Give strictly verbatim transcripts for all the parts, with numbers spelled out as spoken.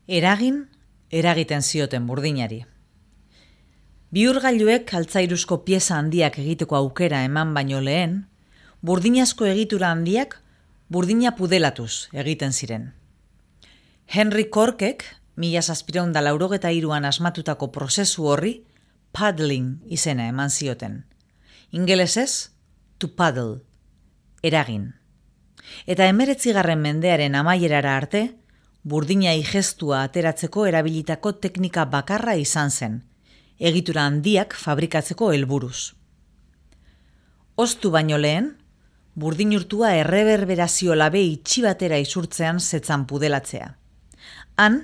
Eragin, eragiten zioten burdinari. Bihurgailuek altzairuzko pieza handiak egiteko aukera eman baino lehen, burdinazko egitura handiak burdina pudelatuz egiten ziren. Henry Corkek, mila zazpiehun eta laurogeta hiruan asmatutako prozesu horri, paddling izena eman zioten. Ingelesez, to paddle, eragin. Eta hemeretzigarren mendearen amaierara arte, burdina igestua ateratzeko erabilitako teknika bakarra izan zen, egitura handiak fabrikatzeko helburuz. Oztu baino lehen, burdin urtua erreberberazio labe itxi batera isurtzean zetzan pudelatzea. Han,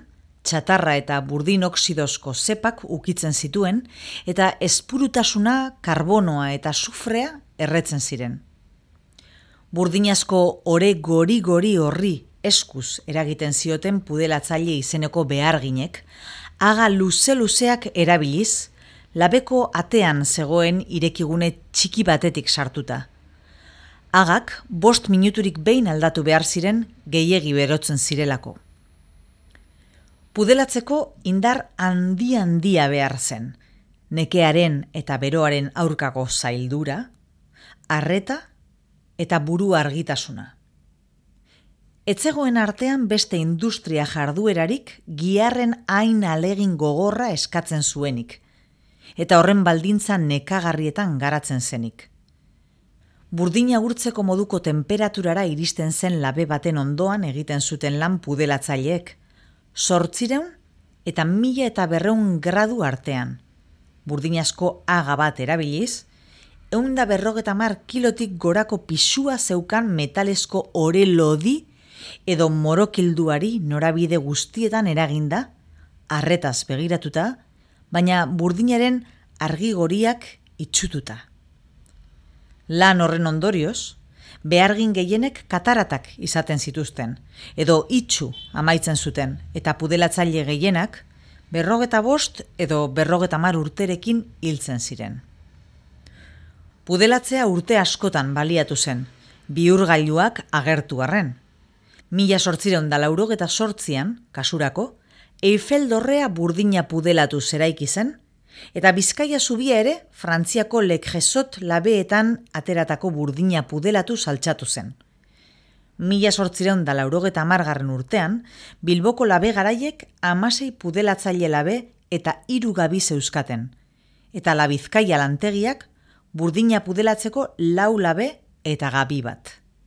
txatarra eta burdin oksidozko zepak ukitzen zituen eta espurutasuna, karbonoa eta sufrea erretzen ziren. Burdinazko ore gori-gori horri eskuz eragiten zioten pudelatzaile izeneko beharginek, aga luze-luzeak erabiliz, labeko atean zegoen irekigune txiki batetik sartuta. Agak bost minuturik behin aldatu behar ziren gehiegi berotzen zirelako. Pudelatzeko indar handi-handia behar zen, nekearen eta beroaren aurkako zaildura, arreta eta buru argitasuna. Etzegoen artean beste industria jarduerarik giharren hain alegin gogorra eskatzen zuenik, eta horren baldintza nekagarrietan garatzen zenik. Burdina urtzeko moduko temperaturara iristen zen labe baten ondoan egiten zuten lan pudelatzaileek, zortzireun eta mila eta berreun gradu artean. Burdinazko aga bat erabiliz, ehun eta berrogeta hamar kilotik gorako pisua zeukan metalesko ore lodi edo morokilduari norabide guztietan eraginda, arretaz begiratuta, baina burdinaren argigoriak itxututa. Lan horren ondorioz, behargin gehienek kataratak izaten zituzten, edo itxu amaitzen zuten, eta pudelatzaile gehienak berrogeta bost edo berrogeta hamar urterekin hiltzen ziren. Pudelatzea urte askotan baliatu zen, bihurgailuak agertu arren. Mila zortziehun eta laurogeta zortzian, kasurako, Eiffel dorrea burdina pudelatu zeraiki zen, eta Bizkaia zubia ere Frantziako Le Creusot labeetan ateratako burdina pudelatu saltxatu zen. Mila zortziehun eta laurogeta hamargarren urtean, Bilboko labe garaiek hamasei pudelatzaile labe eta hiru gabi zeuzkaten, eta La Bizkaia lantegiak burdina pudelatzeko lau labe eta gabi bat.